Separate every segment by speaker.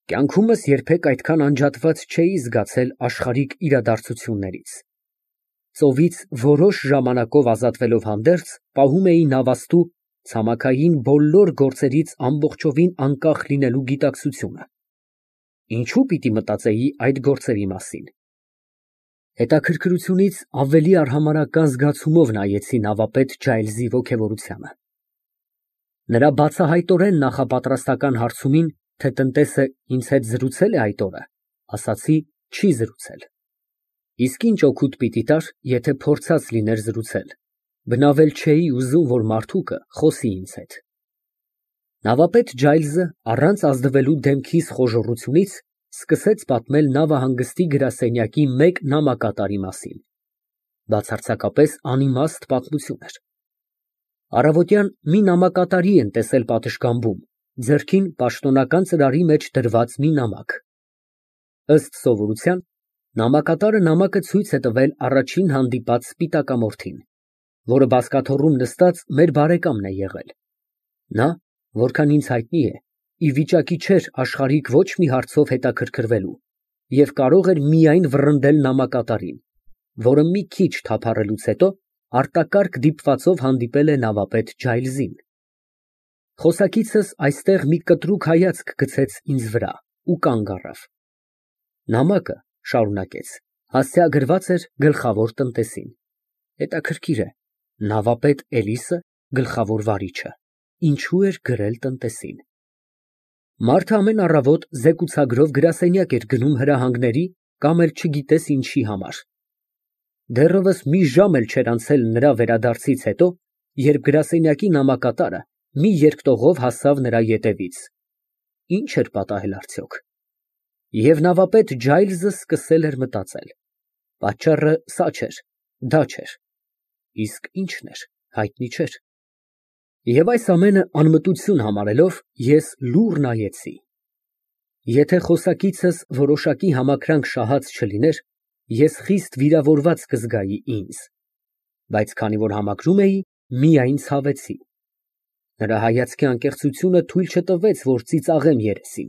Speaker 1: Կյանքումս երբեք այդքան անջատված չէի զգացել աշխարհիկ իրադարձություններից։ Ծովից որոշ ժամանակով ազատվելով հանդերձ, պահում էի նավաստու ցամաքային բոլոր գործերից ամբողջովին անկախ լինելու գիտակցությունը։ Ինչո՞ւ պիտի մտածեի այդ գործերի մասին։ Հետաքրքրությունից ավելի արհամարհական զգացումով նայեցի նավապետ Ջայլզի ոգևորությանը։ Նրա բացահայտորեն նախապատրաստական հարցումին, թե տնտեսը ինձ հետ զրուցե՞լ է այդ օրը, ասացի՝ չի զրուցել։ Իսկ ինչ օգուտ պիտի տար, եթե փորձած լիներ զրուցել, բնավել չէի ուզում, որ մարդուկը խոսի ինձ հետ։ Նավապետ Ջայլզը, առանց ազդվելու դեմքիս խոժոռությունից, սկսեց պատմել նավահանգստի գրասենյակի մեկ նամակատարի մասին։ Բացարձակապես անիմաստ պատմություն էր։ Առավոտյան մի նամակատարի են տեսել պատշգամբում, ձեռքին պաշտոնական ծրարի մեջ դրված մի նամակ։ Ըստ սովորության, նամակատարը նամակը ցույց է տվել առաջին հանդիպած սպիտակամորթին, որը բազկաթոռում նստած մեր բարեկամն է եղել։ Նա, որքան ինձ հայտնի է, ի վիճակի չէր աշխարհիկ ոչ մի հարցով հետաքրքրվելու և կարող էր միայն վռնդել նամակատարին, որը մի քիչ թափառելուց հետո արտակարգ դիպվածով հանդիպել է նավապետ Ջայլզին։ Խոսակիցս այստեղ մի կտրուկ հայացք գցեց ինձ վրա ու կանգ առավ։ Նամակը, շարունակեց, հասցեագրված էր գլխավոր տնտեսին։ Հետաքրքիր է, նավապետ Էլիսը, գլխավոր վարիչը, ինչու էր գրել տնտեսին։ Մարդը ամեն առավոտ զեկուցագրով գրասենյակ էր գնում հրահանգների կամ էլ չգիտես ինչի համար։ Դեռևս մի ժամ էլ չէր անցել նրա վերադարձից հետո, երբ գրասենյակի նամակատարը մի երկտողով հասավ նրա ետևից։ Ինչ էր պատահել արդյոք։ Եվ նավապետ Ջայլզը սկսել էր մտածել։ Պատճառը սա չէր, դա չէր։ Իսկ ինչն էր, հայտնի չէր։ Եվ այս ամենը անմտություն համարելով, ես լուռ նայեցի։ Եթե խոսակիցս որոշակի համակրանք շահած չլիներ, ես խիստ վիրավորված կզգայի ինձ, բայց քանի որ համակրում էի, միայն ցավեցի։ Նրա հայացքի անկեղծությունը թույլ չտվեց, որ ծիծաղեմ երեսին,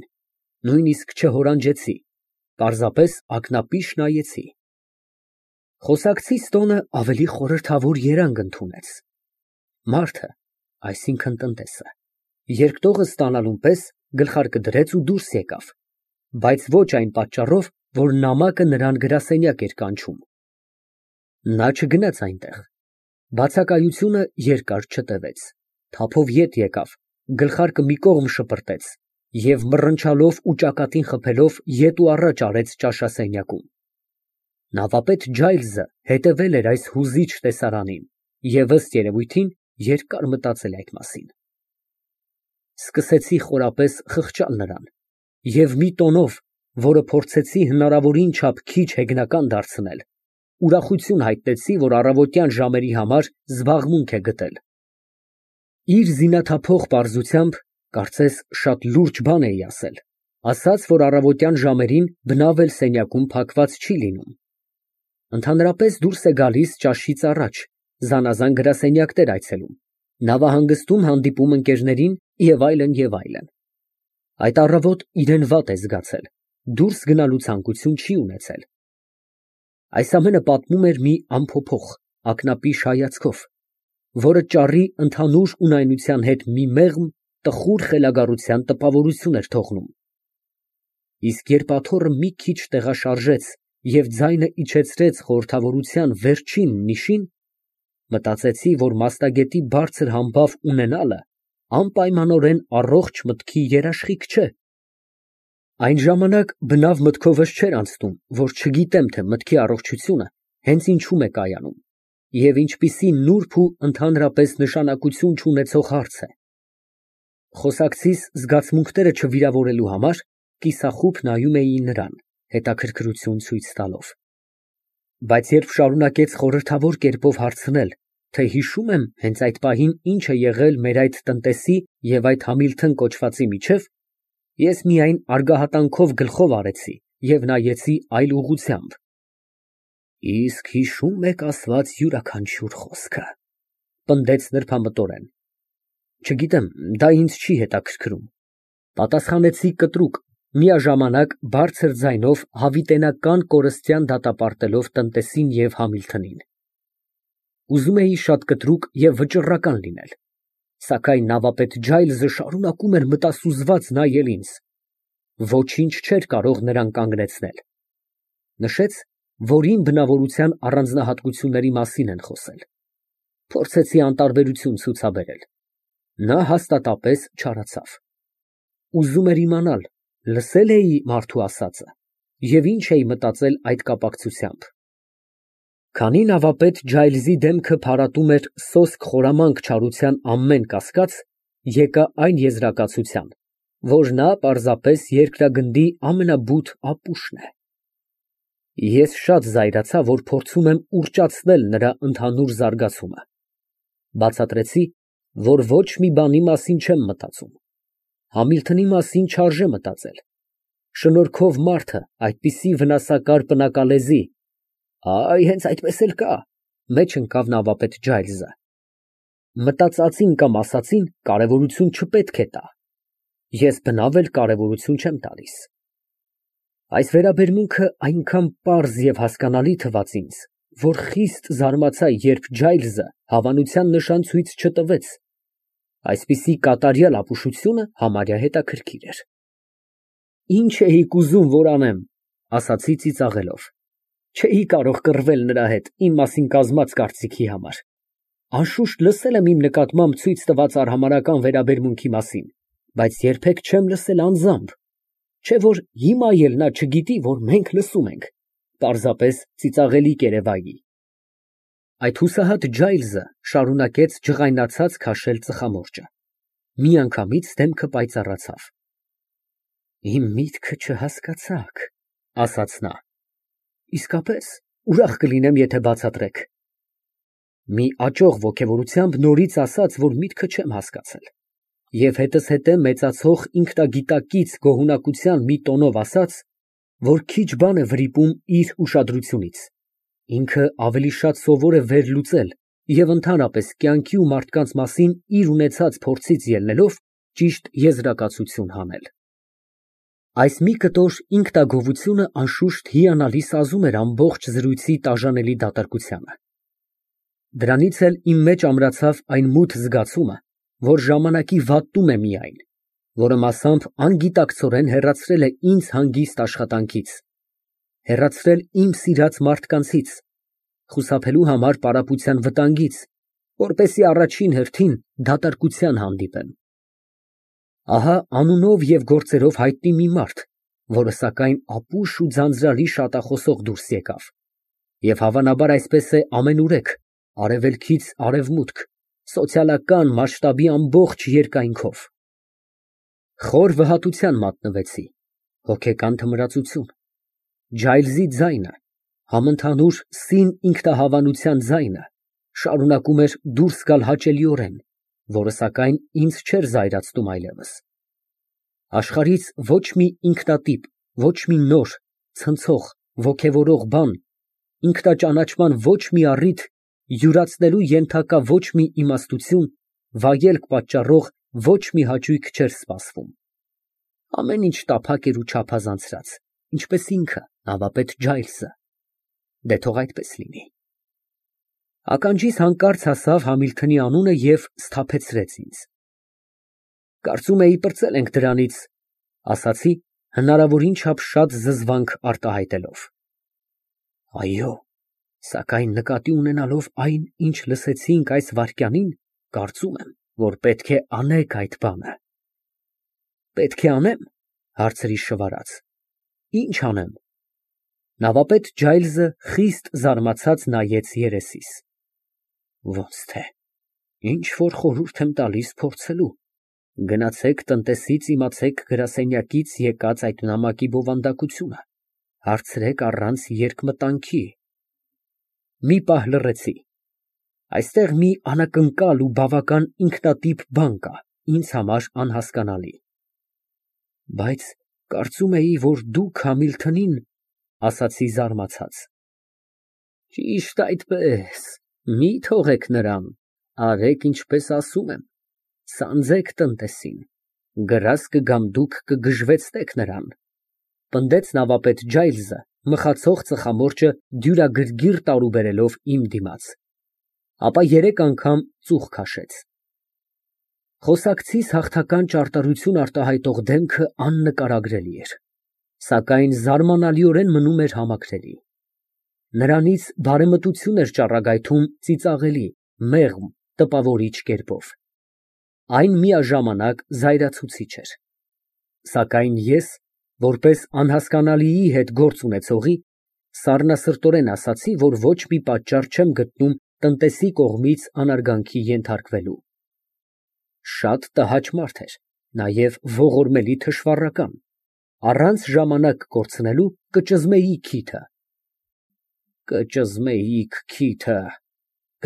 Speaker 1: նույնիսկ չհորանջեցի, պարզապես ակնապիշ նայեցի։ Խոսակցիս տոնը ավելի խորհրդավոր երանգ ընդունեց։ Մարդը, այսինքն տնտեսը, երկտողը ստանալուն պես գլխարկը դրեց ու դուրս եկավ, բայց ոչ այն պատճառով, որ նամակը նրան գրասենյակ էր կանչում։ Նա չգնաց այնտեղ։ Բացակայությունը երկար չտևեց, թափով ետ եկավ, գլխարկը մի կողմ շպրտեց և մռնչալով ու ճակատին խփելով ետ ու առաջ արեց ճաշասենյակում։ Նավապետ Ջայլզը հետևել էր այս հուզիչ տեսարանին և ըստ երևույթին երկար մտածել այդ մասին։ Սկսեցի խորապես խղճալ նրան և մի տոնով, որը փորձեցի հնարավորին չափ քիչ հեգնական դարձնել, ուրախություն հայտնեցի, որ առավոտյան ժամերի համար զբաղմունք է գտել։ Իր զինաթափող պարզությամբ, կարծես շատ լուրջ բան էի ասել, ասաց, որ առավոտյան ժամերին բնավ էլ սենյակում փակված չի լինում։ Ընդհանրապես դուրս է գալիս ճաշից առաջ, զանազան գրասենյակներ այցելում, նավահանգստում հանդիպում ընկերներին և այլն, և այլն։ Այդ առավոտ իրեն վատ է զգացել, դուրս գնալու ցանկություն չի ունեցել։ Այս ամենը պատմում էր մի անփոփոխ, ակնապիշ հայացքով, որը ճառի ընդհանուր ունայնության հետ մի մեղմ, տխուր խելագարության տպավորություն էր թողնում։ Իսկ երբ աթոռը մի քիչ տեղաշարժեց և ձայնը իջեցրեց խորհրդավորության վերջին նիշին, մտածեցի, որ մասնագետի բարձր համբավ ունենալը անպայմանորեն առողջ մտքի երաշխիք չէ։ Այն ժամանակ բնավ մտքովս չէր անցնում, որ չգիտեմ, թե մտքի առողջությունը հենց ինչում է կայանում և ինչպիսի նուրբ ու ընդհանրապես նշանակություն չունեցող հարց է։ Խոսակցիս զգացմունքները չվիրավորելու համար կիսախուբ նայում էի նրան, հետաքրքրություն ցույց տալով։ Բայց երբ շարունակեց խորհրդավոր կերպով հարցնել, թե հիշում եմ հենց այդ պահին ինչ է եղել մեր այդ տնտեսի և այդ Համիլթոն կոչվածի միջև, ես միայն արգահատանքով գլխով արեցի և նայեցի այլ ուղղությամբ։ Իսկ հիշո՞ւմ եք ասված յուրաքանչյուր խոսքը, պնդեց նրբամտորեն։ Չգիտեմ, դա ինձ չի հետաքրքրում, պատասխանեցի կտրուկ, Միաժամանակ բարձր ձայնով հավիտենական կորստյան դատապարտելով տնտեսին և Համիլթոնին։ Ուզում էի շատ կտրուկ և վճռական լինել, սակայն նավապետ Ջայլզը շարունակում էր մտասուզված նայել ինձ։ Ոչինչ չէր կարող նրան կանգնեցնել։ Նշեց, որ իմ բնավորության առանձնահատկությունների մասին են խոսել։ Փորձեցի անտարբերություն ցուցաբերել։ Նա հաստատապես չարացավ։ Ուզում էր իմանալ, լսե՞լ էի մարդու ասածը և ինչ էի մտածել այդ կապակցությամբ։ Քանի նավապետ Ջայլզի դեմքը փարատում էր սոսկ խորամանկ չարության ամեն կասկած, եկա այն եզրակացության, որ նա պարզապես երկրագնդի ամենաբութ ապուշն է։ Ես շատ զայրացա, որ փորձում եմ ուռճացնել նրա ընդհանուր զարգացումը։ Բացատրեցի, որ ոչ մի բանի մասին չեմ մտածում։ Համիլթոնի մասին չարժե մտածել։ Շնորհքով մարդը այդպիսի վնասակար պնակալեզի… Այ, հենց այդպես էլ կա, մեջ ընկավ նավապետ Ջայլզը։ Մտածածին կամ ասածին կարևորություն չպետք է տա։ Ես բնավ էլ կարևորություն չեմ տալիս։ Այս վերաբերմունքը այնքան պարզ և հասկանալի թվաց ինձ, որ խիստ զարմացա, երբ Ջայլզը հավանության նշան ցույց չտվեց։ Այսպիսի կատարյալ ապուշությունը համարյա հետաքրքիր էր։ Ինչ էիք ուզում, որ անեմ, ասացի ծիծաղելով։ Չէի կարող կռվել նրա հետ իմ մասին կազմած կարծիքի համար։ Անշուշտ լսել եմ իմ նկատմամբ ցույց տված արհամարհական վերաբերմունքի մասին, բայց երբեք չեմ լսել անձամբ։ Չէ որ հիմա էլ նա չգիտի, որ մենք լսում ենք, պարզապես ծիծաղելի կերևայի։ Այդ հուսահատ Ջայլզը շարունակեց ջղայնացած քաշել ծխամորճը։ Միանգամից դեմքը պայծառացավ։ Իմ միտքը չհասկացաք, ասաց նա։ Իսկապես, ուրախ կլինեմ, եթե բացատրեք։ Մի աճող ոգևորությամբ նորից ասաց, որ միտքը չեմ հասկացել, և հետզհետե մեծացող ինքնագիտակից գոհունակության մի տոնով ասաց, որ քիչ բան է վրիպում իր ուշադրությունից, ինքը ավելի շատ սովոր է վերլուծել և ընդհանրապես կյանքի ու մարդկանց մասին իր ունեցած փորձից ելնելով ճիշտ եզրակացություն հանել։ Այս մի կտոր ինքնագովությունը անշուշտ հիանալի սազում էր ամբողջ զրույցի տաժանելի դատարկությանը։ Դրանից էլ իմ մեջ ամրացավ այն մութ զգացումը, որ ժամանակի վատտում է միայն, որը մասամբ անգիտակցորեն հեռացրել է ինձ հանգիստ աշխատանքից, հեռացրել իմ սիրած մարդկանցից, խուսափելու համար պարապության վտանգից, որպեսզի առաջին հերթին դատարկության հանդիպեմ։ Ահա անունով և գործերով հայտնի մի մարդ, որը սակայն ապուշ ու ձանձրալի շատախոսող դուրս եկավ, և հավանաբար այսպես է ամենուրեք, արևելքից արևմուտք, սոցիալական մասշտաբի ամբողջ երկայնքով։ Խոր վհատության մատնվեցի, հոգեկան թմրածություն։ Ջայլզի ձայնը, համընդհանուր սին ինքնահավանության ձայնը, շարունակում էր դուրս գալ հաճելիորեն, որը սակայն ինձ չէր զայրացնում այլևս։ Աշխարհից ոչ մի ինքնատիպ, ոչ մի նոր, ցնցող, ոգևորող բան, ինքնաճանաչման ոչ մի առիթ, յուրացնելու ենթակա ոչ մի իմաստություն, վայելք պատճառող ոչ մի հաճույք չէր սպասվում։ Ամեն ինչ տափակ էր ու չափազանցրած, ինչպես ինքը, նավապետ Ջայլզը։ Դե թող այդպես լինի։ Ականջիս հանկարծ հասավ Համիլթոնի անունը և սթափեցրեց ինձ։ Կարծում էի պրծել ենք դրանից, ասացի, հնարավորին չափ շատ զզվանք արտահայտելով։ Այո, սակայն նկատի ունենալով այն, ինչ լսեցինք այս վայրկյանին, կարծում եմ, որ պետք է անեք այդ բանը։ Պետք է անե՞մ, հարցրի շվարած։ Ինչ անեմ։ Նավապետ Ջայլզը խիստ զարմացած նայեց երեսիս։ Ոնց թե, ինչ որ խորհուրդ եմ տալիս փորձելու։ Գնացեք տնտեսից իմացեք գրասենյակից եկած այդ նամակի բովանդակությունը, հարցրեք առանց երկմտանքի։ Մի պահ լռեցի։ Այստեղ մի անակնկալ ու բավական ինքնատիպ բան կա, ինձ համար անհասկանալի։ Բայց կարծում էի, որ դուք Համիլթոնին… ասացի զարմացած։ Ճիշտ այդպես, մի թողեք նրան, արեք ինչպես ասում եմ, սանձեք տնտեսին։ Գրաս կգամ դուք կգժվեցնեք նրան, պնդեց նավապետ Ջայլզը, մխացող ծխամորճը դյուրագրգիռ տարուբերելով իմ դիմաց, ապա 3 անգամ ծուխ քաշեց։ Խոսակցիս հաղթական ճարտարություն արտահայտող դեմքը աննկարագրելի էր, սակայն զարմանալիորեն մնում էր համակրելի։ Նրանից բարեմտություն էր ճառագայթում ծիծաղելի, մեղմ, տպավորիչ կերպով։ Այն միաժամանակ զայրացուցիչ էր։ Սակայն ես, որպես անհասկանալիի հետ գործ ունեցողի, սառնասրտորեն ասացի, որ ոչ մի պատճառ չեմ գտնում տնտեսի կողմից անարգանքի ենթարկվելու։ Շատ տհաճ մարդ էր, նաև ողորմելի թշվառական, առանց ժամանակ կորցնելու կճզմեի քիթը։ Կճզմեիք քիթը,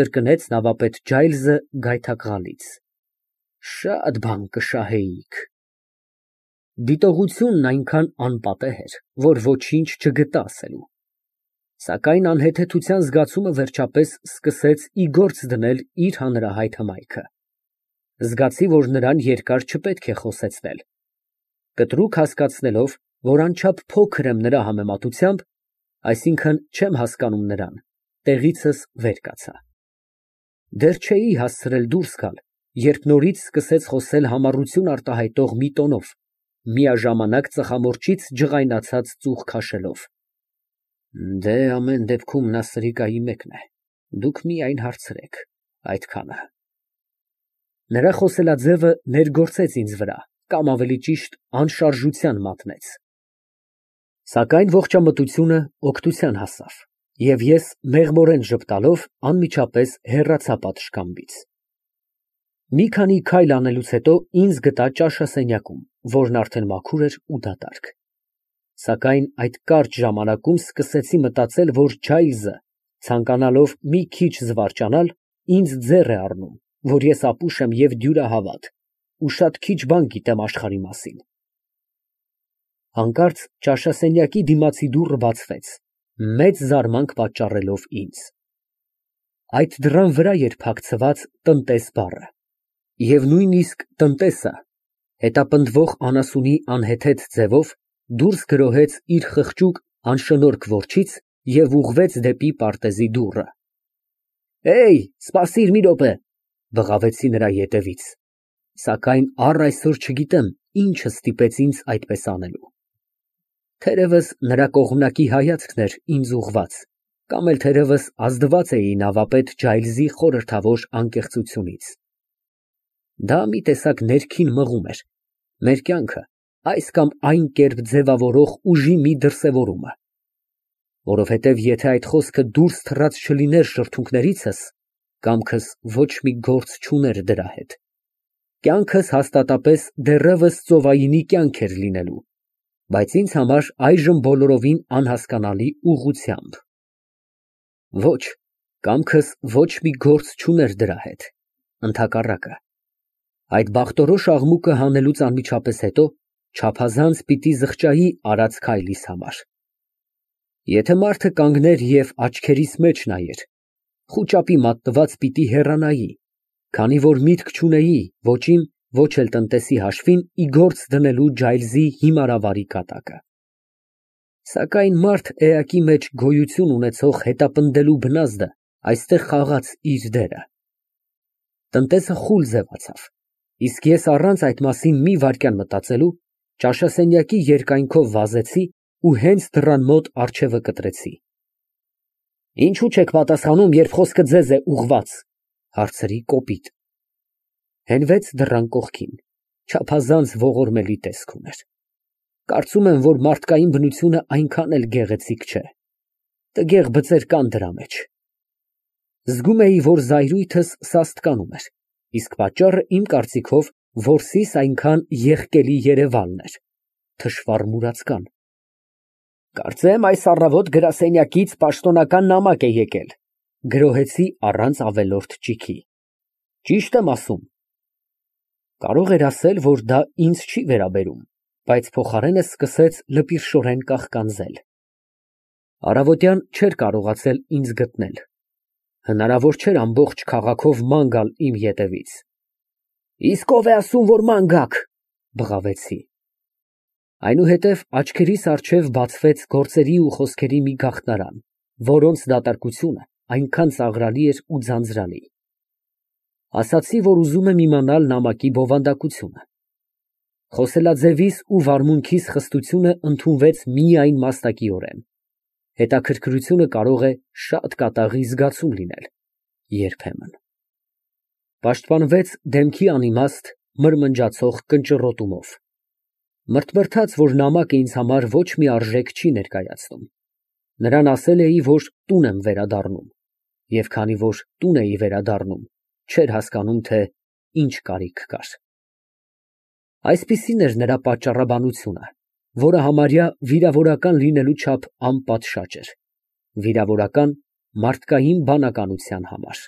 Speaker 1: կրկնեց նավապետ Ջայլզը գայթակղալից։ Շատ բան կշահեիք։ Դիտողությունն այնքան անպատեհ էր, որ ոչինչ չգտա ասելու։ Սակայն անհեթեթության զգացումը վերջապես սկսեց ի գործ դնել իր հանրահայտ հմայքը։ Զգացի, որ նրան երկար չպետք է խոսեցնել։ Կտրուկ հասկացնելով, որ անչափ փոքր եմ նրա համեմատությամբ, այսինքն չեմ հասկանում նրան, տեղիցս վեր կացա։ Դեռ չէի հասցրել դուրս գալ, երբ նորից սկսեց խոսել համառություն արտահայտող մի տոնով, միաժամանակ ծխամորճից ջղայնացած ծուխ քաշելով։ Դե ամեն դեպքում նա սրիկայի մեկն է, դուք միայն հարցրեք, այդքանը։ Նրա խոսելաձևը ներգործեց ինձ վրա, կամ ավելի ճիշտ անշարժության մատնեց։ Սակայն ողջամտությունը օգնության հասավ, և ես մեղմորեն ժպտալով անմիջապես հեռացա պատշգամբից։ Մի քանի քայլ անելուց հետո ինձ գտա ճաշասենյակում, որն արդեն մաքուր էր ու դատարկ։ Սակայն այդ կարճ ժամանակում սկսեցի մտածել, որ Ջայլզը, ցանկանալով մի քիչ զվարճանալ, ինձ ձեռ է առնում, որ ես ապուշ եմ և դյուրահավատ ու շատ քիչ բան գիտեմ աշխարհի մասին։ Հանկարծ ճաշասենյակի դիմացի դուռը բացվեց, մեծ զարմանք պատճառելով ինձ։ Այդ դռան վրա էր փակցված «տնտես» բառը, և նույնիսկ տնտեսը, հետապնդվող անասունի անհեթեթ ձևով, դուրս գրոհեց իր խղճուկ անշնորհք որջից և ուղղվեց դեպի պարտեզի դուռը։ Սպասիր մի րոպե, բղավեցի նրա ետևից, սակայն առ այսօր չգիտեմ ինչը ստիպեց ինձ այդպես անելու։ Թերևս նրա կողմնակի հայացքն էր ինձ ուղղված, կամ էլ թերևս ազդված էի նավապետ Ջայլզի խորհրդավոր անկեղծությունից։ Դա մի տեսակ ներքին մղում էր, մեր կյանքը այս կամ այն կերպ ձևավորող ուժի մի դրսևորումը։ Որովհետև եթե այդ խոսքը դուրս թռած չլիներ շրթունքներիցս, կամքս ոչ մի գործ չուներ դրա հետ։ Կյանքս հաստատապես դեռևս ծովայինի կյանք էր լինելու, բայց ինձ համար այժմ բոլորովին անհասկանալի ուղղությամբ։ Ոչ, կամքս ոչ մի գործ չուներ դրա հետ, ընդհակառակը։ Այդ բախտորոշ աղմուկը հանելուց անմիջապես հետո չափազանց պիտի զղջայի արած քայլիս համար։ Եթե մարդը կանգներ և աչքերիս մեջ նայեր, խուճապի մատնված պիտի հեռանայի, քանի որ միտք չունեի ոչ իմ, ոչ էլ տնտեսի հաշվին ի գործ դնելու Ջայլզի հիմարավարի կատակը։ Սակայն մարդ էակի մեջ գոյություն ունեցող հետապնդելու բնազդը այստեղ խաղաց իր դերը։ Տնտեսը խուլ ձևացավ, իսկ ես առանց այդ մասին մի վայրկյան մտածելու ճաշասենյակի երկայնքով վազեցի ու հենց դռան մոտ առջևը կտրեցի։ Ինչու չեք պատասխանում, երբ խոսքը ձեզ է ուղղված, հարցրի կոպիտ։ Հենվեց դռան կողքին, չափազանց ողորմելի տեսք ուներ։ Կարծում եմ, որ մարդկային բնությունը այնքան էլ գեղեցիկ չէ։ Տգեղ բծեր կան դրա մեջ։ Զգում էի, որ զայրույթս սաստկանում էր, իսկ պատճառը իմ կարծիքով որսիս այնքան եղկելի երևալն էր, թշվառ մուրացկան։ Կարծեմ այս առավոտ գրասենյակից պաշտոնական նամակ է եկել, գրոհեցի առանց ավելորդ ճիգի։ Ճիշտ եմ ասում։ Կարող էր ասել, որ դա ինձ չի վերաբերում, բայց փոխարենը սկսեց լպիրշորեն կաղկանձել։ Առավոտյան չէր կարողացել ինձ գտնել։ Հնարավոր չէր ամբողջ քաղաքով ման գալ իմ ետևից։ Իսկ ով է ասում, որ ման գաք, բղավեցի։ Այնուհետև աչքերիս առջև բացվեց գործերի ու խոսքերի մի գաղտնարան, որոնց դատարկությունը այնքան ծաղրալի էր ու ձանձրալի։ Ասացի, որ ուզում եմ իմանալ նամակի բովանդակությունը։ Խոսելաձևիս ու վարմունքիս խստությունը ընդունվեց միայն մաստակիորեն։ Հետաքրքրությունը կարող է շատ կատաղի զգացում լինել, երբեմն։ Պաշտպանվեց դեմքի անիմաստ, մրմնջացող կնճռոտումով։ Մրթմրթաց, որ նամակը ինձ համար ոչ մի արժեք չի ներկայացնում։ Նրան ասել էի, որ տուն եմ վերադառնում, և քանի որ տուն էի վերադառնում, չէր հասկանում, թե ինչ կարիք կար։ Այսպիսին էր նրա պատճառաբանությունը, որը համարյա վիրավորական լինելու չափ անպատշաճ էր, վիրավորական մարդկային բանականության համար։